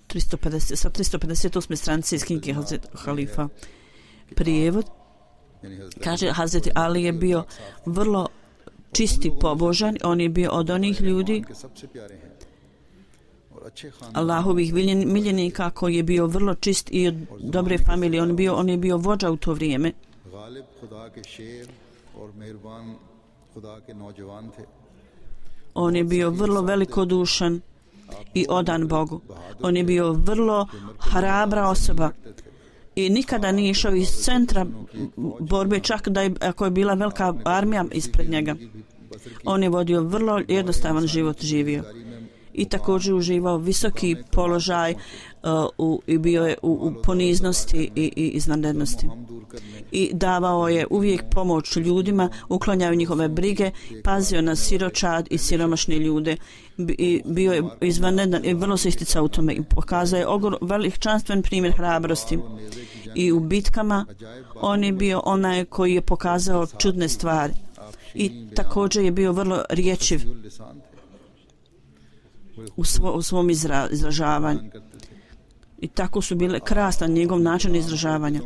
358. stranice iz knjige Hazreti Halifa. Prijevod kaže, Hazreti Ali je bio vrlo čisti pobožan, on je bio od onih ljudi Allahovih miljenika koji je bio vrlo čist i od dobre familije. On je bio vođa u to vrijeme. On je bio vrlo velikodušan i odan Bogu. On je bio vrlo hrabra osoba i nikada nije išao iz centra borbe, čak da ako je bila velika armija ispred njega. On je vodio vrlo jednostavan život, živio i također uživao visoki položaj i bio je u poniznosti i izvanrednosti. I davao je uvijek pomoć ljudima, uklanjao njihove brige, pazio na siročad i siromašne ljude i bio je izvanredan i vrlo se isticao u tome i pokazao je veličanstven primjer hrabrosti. I u bitkama on je bio onaj koji je pokazao čudne stvari i također je bio vrlo riječiv u svom izražavanju. I tako su bile krasna njegov način izražavanja.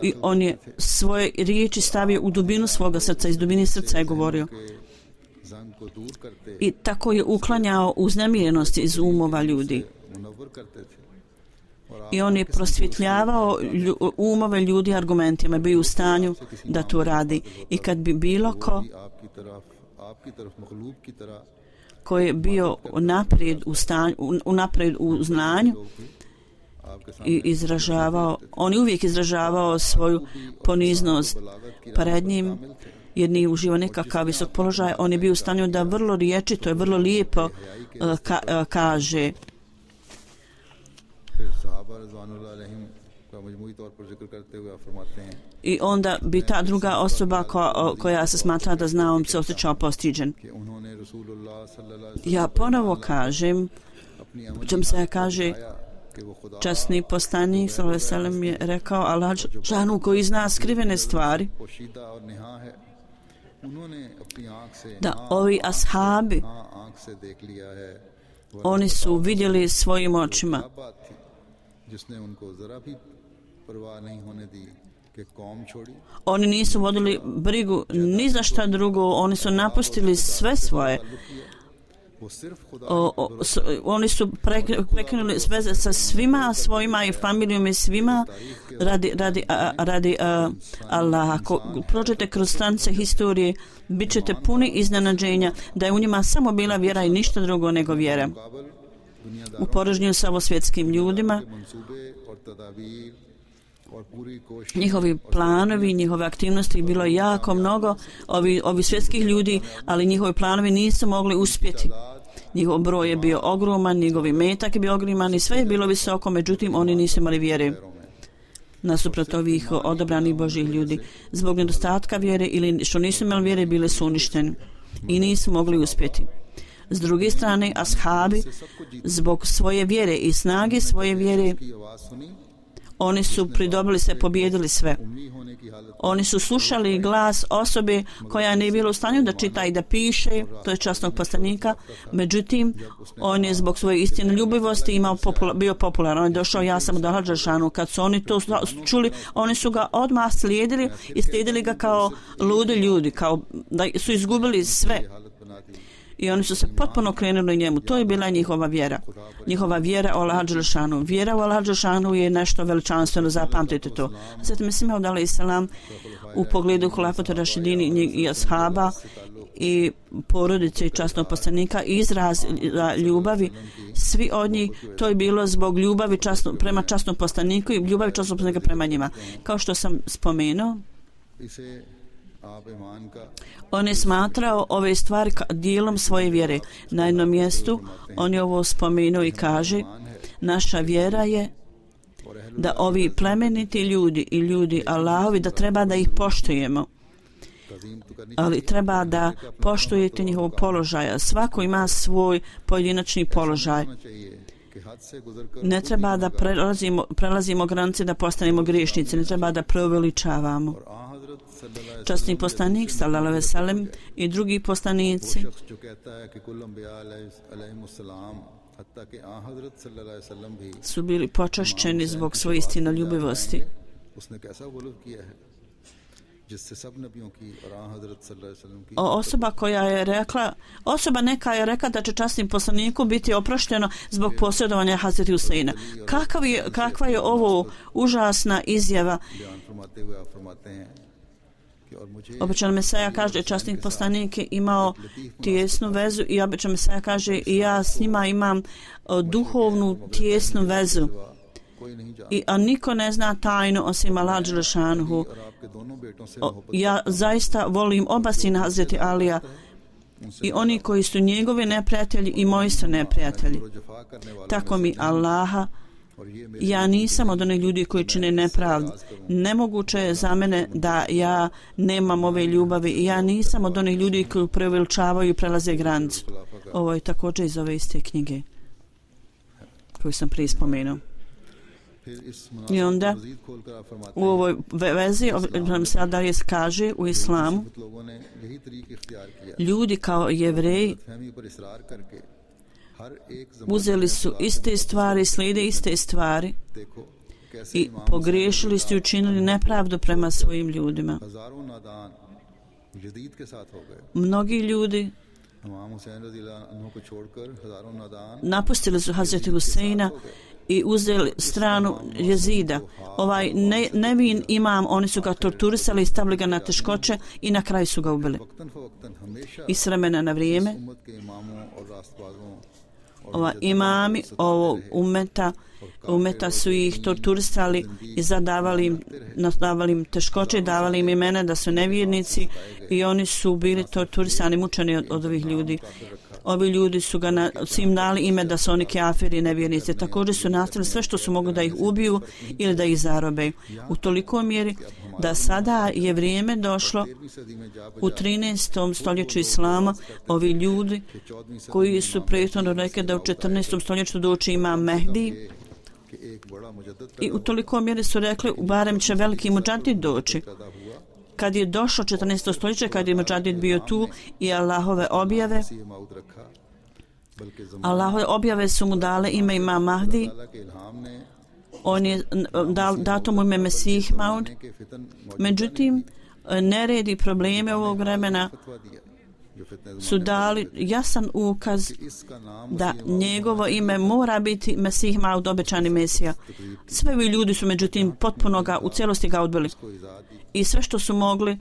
I on je svoje riječi stavio u dubinu svoga srca, iz dubine srca je govorio. I tako je uklanjao uznemirenosti iz umova ljudi. I on je prosvjetljavao umove ljudi argumentima, bio u stanju da to radi. I kad bi bilo ko je bio naprijed u znanju i on je uvijek izražavao svoju poniznost pred njim, jer nije uživao nekakav visok položaj. On je bio u stanju da vrlo riječito i vrlo lijepo kaže. I onda bi ta druga osoba koja se smatra da zna, on se osjećao postiđen. Ja ponovo kažem, čem se kaže, časni poslanik sallallahu alejhi ve sellem je rekao, Allah džanu koji zna skrivene stvari, da ovi ashabi oni su vidjeli svojim očima. Oni nisu vodili brigu ni za šta drugo, oni su napustili sve svoje. Oni su prekinuli veze sa svima svojima i familijom i svima radi Allaha. Ako prođete kroz stranice historije, bit ćete puni iznenađenja da je u njima samo bila vjera i ništa drugo nego vjera. U porežnju sa ovosvjetskim ljudima Njihovi planovi, njihove aktivnosti bilo je jako mnogo, ovi svjetskih ljudi, ali njihovi planovi nisu mogli uspjeti. Njihov broj je bio ogroman, njegovi metak je bio ogroman i sve je bilo visoko, međutim oni nisu imali vjere. Nasuprot ovih odabranih Božih ljudi. Zbog nedostatka vjere ili što nisu imali vjere, bili su uništeni i nisu mogli uspjeti. S druge strane, ashabi, zbog svoje vjere i snage svoje vjere, oni su pridobili se, pobjedili sve. Oni su slušali glas osobe koja nije bila u stanju da čita i da piše, to je časnog poslanika, međutim, on je zbog svoje istinoljubivosti bio popularan. On je došao, ja sam od Al-Đelešanu. Kad su oni to čuli, oni su ga odmah slijedili i slijedili ga kao ludi ljudi, kao da su izgubili sve. I oni su se potpuno krenuli njemu. To je bila njihova vjera. Njihova vjera o Allahu Đelešanu. Vjera u Allahu Đelešanu je nešto veličanstveno, zapamtite to. Zatim Mesih Maud alejhi selam u pogledu Hulafata Rašidini i ashaba i porodice i časnog poslanika izraz ljubavi, svi od njih, to je bilo zbog ljubavi prema časnom poslaniku i ljubavi časnog poslanika prema njima. Kao što sam spomenuo, on je smatrao ove stvari dijelom svoje vjere. Na jednom mjestu on je ovo spomenuo i kaže, naša vjera je da ovi plemeniti ljudi i ljudi Allahovi, da treba da ih poštujemo. Ali treba da poštujete njihov položaj. Svako ima svoj pojedinačni položaj. Ne treba da prelazimo granice da postanemo griješnici. Ne treba da preuveličavamo. Časni poslanik sallallahu alejhi ve sellem i drugi poslanici su bili počašćeni zbog svoje istinoljubivosti. Osoba neka je rekla da će časnim poslaniku biti oprošteno zbog posjedovanja Hazreti Huseina. Kakva je ovo užasna izjava? Običan Mesaja kaže, časnik poslanik je imao tijesnu vezu i običan Mesaja kaže, i ja s njima imam duhovnu tijesnu vezu. A niko ne zna tajnu osim Allaha Đelešanuhu. Ja zaista volim oba sina Hazreti Alija i oni koji su njegovi neprijatelji i moji su neprijatelji. Tako mi Allaha, ja nisam od onih ljudi koji čine nepravdu. Nemoguće je za mene da ja nemam ove ljubavi i ja nisam od onih ljudi koji preuveličavaju i prelaze granicu. Ovo je također iz ove iste knjige koju sam prije spomenuo. I onda u ovoj vezi nam se dalje kaže u islamu, ljudi kao Jevreji uzeli su iste stvari, slijede iste stvari i pogriješili su i učinili nepravdu prema svojim ljudima. Mnogi ljudi napustili su Hazreti Huseina i uzeli stranu Jezida. Ovaj nevin imam, oni su ga torturisali i stavili ga na teškoće i na kraju su ga ubili. I s vremena na vrijeme imami ovog umeta su ih torturisali i zadavali im teškoće, davali im imena da su nevjernici i oni su bili torturisani, mučeni od ovih ljudi. Ovi ljudi su im dali ime da su oni kafiri i nevjernici. Također su nastavili sve što su mogli da ih ubiju ili da ih zarobe. U toliko mjeri da sada je vrijeme došlo u 13. stoljeću islama, ovi ljudi koji su prethodno rekli da u 14. stoljeću doći ima Mehdi i u toliko mjeri su rekli barem će veliki muđadid doći. Kad je došlo 14. stoljeće, kad je muđadid bio tu i Allahove objave su mu dale ime Imam Mahdi, on je dato mu ime Mesih Maud. Međutim, neredi i probleme ovog vremena su dali jasan ukaz da njegovo ime mora biti Mesih Maud, obećani Mesija. Sve ovi ljudi su međutim potpuno u cijelosti ga odbili. I sve što su mogli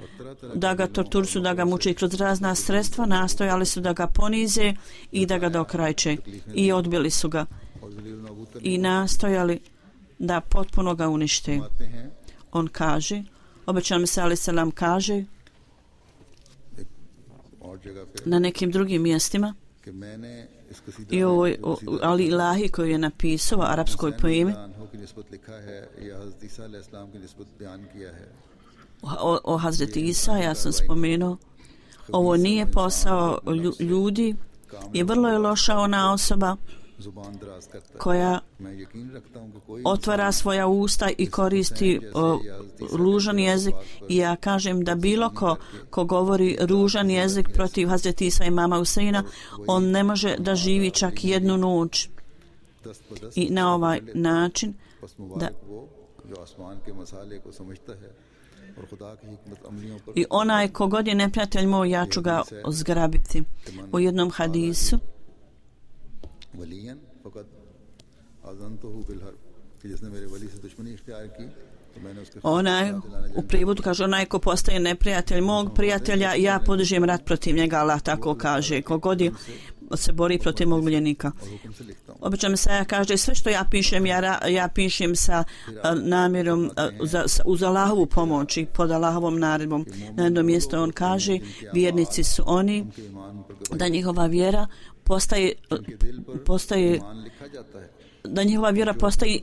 da ga torturišu, da ga muče kroz razna sredstva, nastojali su da ga ponize i da ga dokrajče. I odbili su ga. I nastojali da potpuno ga unište. On kaže, obećan Mesija alejhi selam kaže na nekim drugim mjestima i ovo Ali Ilahi koji je napisao u arapskoj poemi o Hazreti Isa, ja sam spomenuo, ovo nije posao ljudi i vrlo je loša ona osoba koja otvara svoja usta i koristi ružan jezik. I ja kažem da bilo ko govori ružan jezik protiv Hazreti Isa i mama Huseina, on ne može da živi čak jednu noć. I na ovaj način da i onaj kogod je neprijatelj moj, ja ću ga zgrabiti. U jednom hadisu onaj, u prijevodu kaže, onaj ko postaje neprijatelj mog prijatelja, ja podižem rat protiv njega, Allah tako kaže, kogod se bori protiv mog miljenika. Obično mi se kaže, sve što ja pišem, ja pišem sa namjerom uz Allahovu pomoć i pod Allahovom naredbom. Na jednom mjestu on kaže, vjernici su oni da njihova vjera postaje da njihova vjera postaje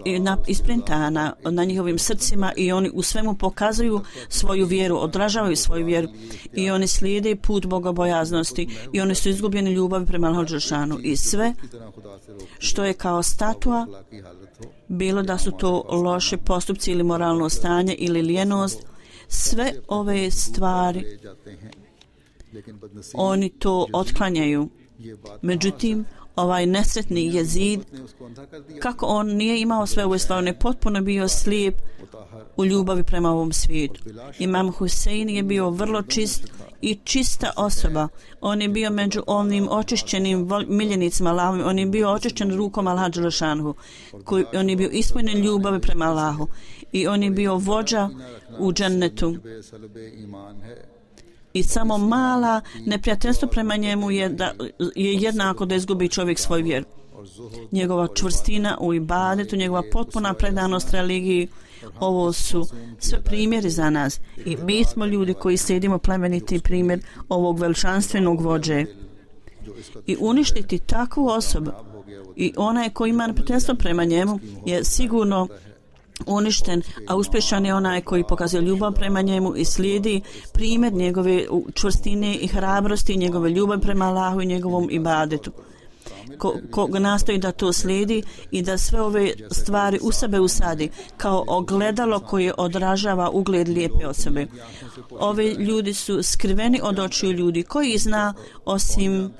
isprintana na njihovim srcima i oni u svemu pokazuju svoju vjeru, odražavaju svoju vjeru i oni slijede put bogobojaznosti i oni su izgubljeni ljubavi prema Allahu dželešanu i sve što je kao statua, bilo da su to loše postupci ili moralno stanje ili lijenost, sve ove stvari oni to otklanjaju. Međutim, ovaj nesretni Jezid, kako on nije imao sve ove stvari, on je potpuno bio slijep u ljubavi prema ovom svijetu. Imam Husein je bio vrlo čist i čista osoba. On je bio među onim očišćenim miljenicima Allahovim. On je bio očišćen rukom Allaha dželešanhu. On je bio ispunjen ljubavi prema Allahu. I on je bio vođa u džennetu. I samo mala neprijateljstvo prema njemu je jednako da izgubi čovjek svoju vjeru. Njegova čvrstina u ibadetu, njegova potpuna predanost religiji, ovo su sve primjeri za nas. I mi smo ljudi koji slijedimo plemeniti primjer ovog veličanstvenog vođe. I uništiti takvu osobu i onaj koji ima neprijateljstvo prema njemu je sigurno uništen, a uspješan je onaj koji pokazuje ljubav prema njemu i slijedi primjer njegove čvrstine i hrabrosti, njegove ljubav prema Allahu i njegovom ibadetu. Ko nastoji da to slijedi i da sve ove stvari u sebe usadi kao ogledalo koje odražava ugled lijepe osobe. Ovi ljudi su skriveni od očiju ljudi. Koji zna osim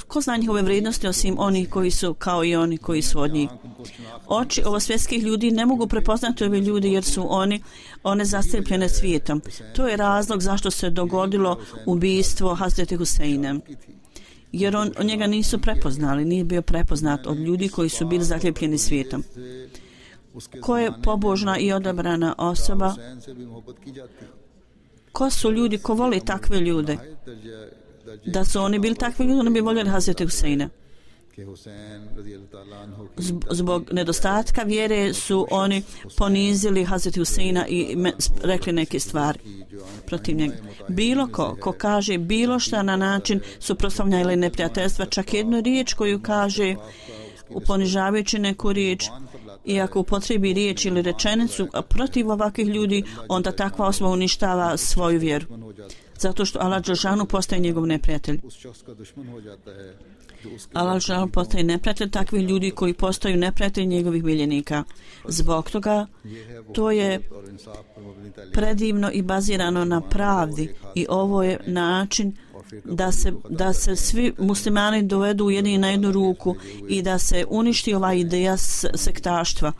ko zna njihove vrijednosti osim oni koji su kao i oni koji su od njih. Oči ovosvjetskih ljudi ne mogu prepoznati ove ljudi jer su one zastrepljene svijetom. To je razlog zašto se dogodilo ubijstvo Hazreti Huseina. Jer njega nisu prepoznali, nije bio prepoznat od ljudi koji su bili zaslijepljeni svijetom. Ko je pobožna i odabrana osoba? Ko su ljudi ko voli takve ljude? Da su oni bili takvi ljudi, oni bi voljeli Hazreti Huseina. Zbog nedostatka vjere su oni ponizili Hazreti Huseina i rekli neke stvari protiv njega. Bilo ko kaže bilo šta na način suprotstavljanja ili neprijateljstva, čak jednu riječ koju kaže uponižavajući neku riječ, i ako upotrebi riječ ili rečenicu protiv ovakvih ljudi, onda takva osoba uništava svoju vjeru. Zato što Allah dželešanu postaje njegov neprijatelj. Allah dželešanu postaje neprijatelj takvih ljudi koji postaju neprijatelji njegovih miljenika. Zbog toga to je predivno i bazirano na pravdi i ovo je način da se svi muslimani dovedu jedni na jednu ruku i da se uništi ova ideja sektaštva.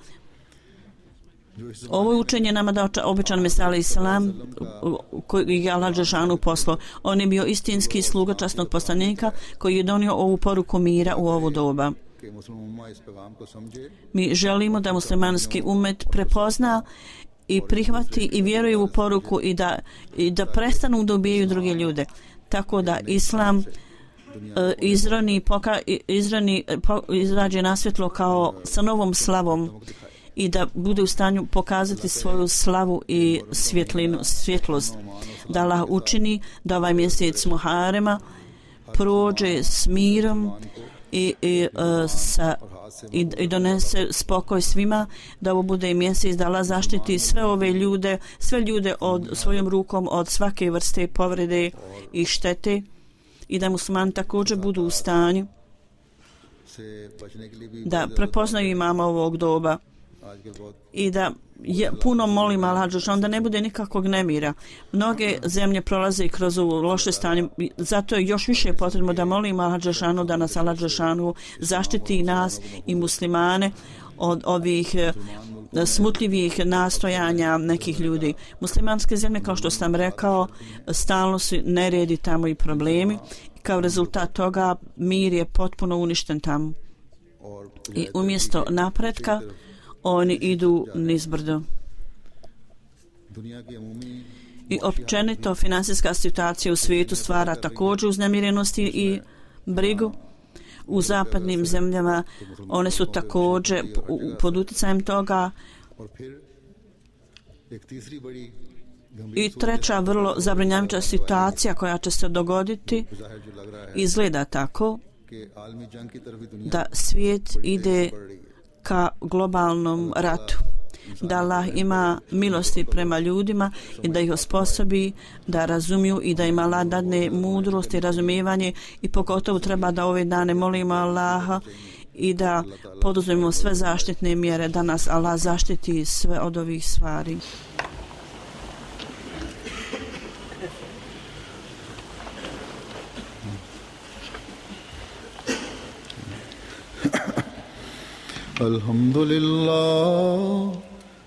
Ovo učenje nama da obećan Mesija alejhi selam koji je Allah dželešanu poslao. On je bio istinski sluga časnog poslanika koji je donio ovu poruku mira u ovo doba. Mi želimo da muslimanski umet prepozna i prihvati i vjeruje u poruku i da prestanu da ubijaju druge ljude. Tako da Islam izađe na svjetlo kao sa novom slavom i da bude u stanju pokazati svoju slavu i svjetlost. Da Allah učini da ovaj mjesec Muharema prođe s mirom i donese spokoj svima, da ovo bude mjesec da Allah zaštiti sve ljude svojom rukom od svake vrste povrede i štete i da muslimani također budu u stanju da prepoznaju imama ovog doba i da puno molim Allah dželešanu da ne bude nikakvog nemira. Mnoge zemlje prolaze kroz ovo loše stanje, zato je još više potrebno da molim Allah dželešanu da nas Allah dželešanu zaštiti nas i muslimane od ovih smutljivih nastojanja nekih ljudi. Muslimanske zemlje, kao što sam rekao, stalno su neredi tamo i problemi. Kao rezultat toga mir je potpuno uništen tamo. I umjesto napretka oni idu nizbrdo. I općenito finansijska situacija u svijetu stvara također uznemirenosti i brigu. U zapadnim zemljama one su također pod utjecajem toga. I treća vrlo zabrinjavajuća situacija koja će se dogoditi izgleda tako da svijet ide ka globalnom ratu. Da Allah ima milosti prema ljudima i da ih osposobi da razumiju i da im Allah dadne mudrost i razumijevanje i pogotovo treba da ove dane molimo Allaha i da poduzmemo sve zaštitne mjere da nas Allah zaštiti sve od ovih stvari.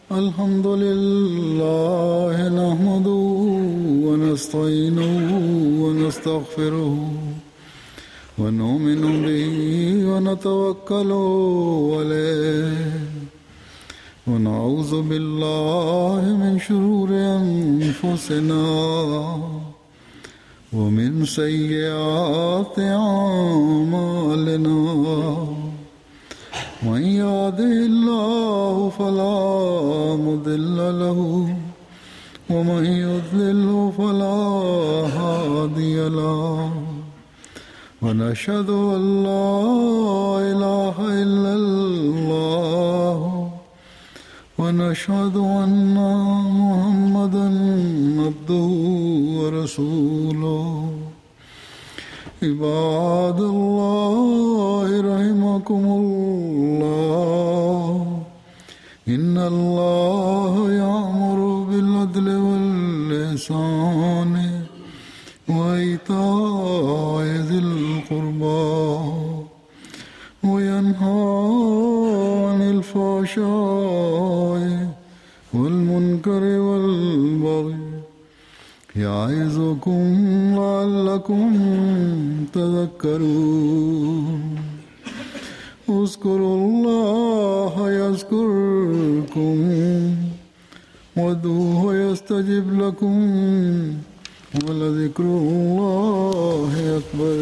Alhamdulillah nahmaduhu wa nasta'inuhu wa nastaghfiruhu wa nu'minu bihi wa natawakkalu alayhi wa na'udhu billahi min shururi anfusina wa min sayyiati a'malina. من يهده الله فلا مضل له ومن يضلل فلا هادي له ونشهد أن لا إله إلا الله ونشهد أن محمدا عبده ورسوله عباد الله رحمكم الله إن الله يأمر بالعدل والإحسان وإيتاء ذي القربى وينهى عن الفحشاء والمنكر والبغي يعظكم لعلكم تذكرون اذكروا الله يذكركم وادعوه يستجب لكم ولذكر الله أكبر.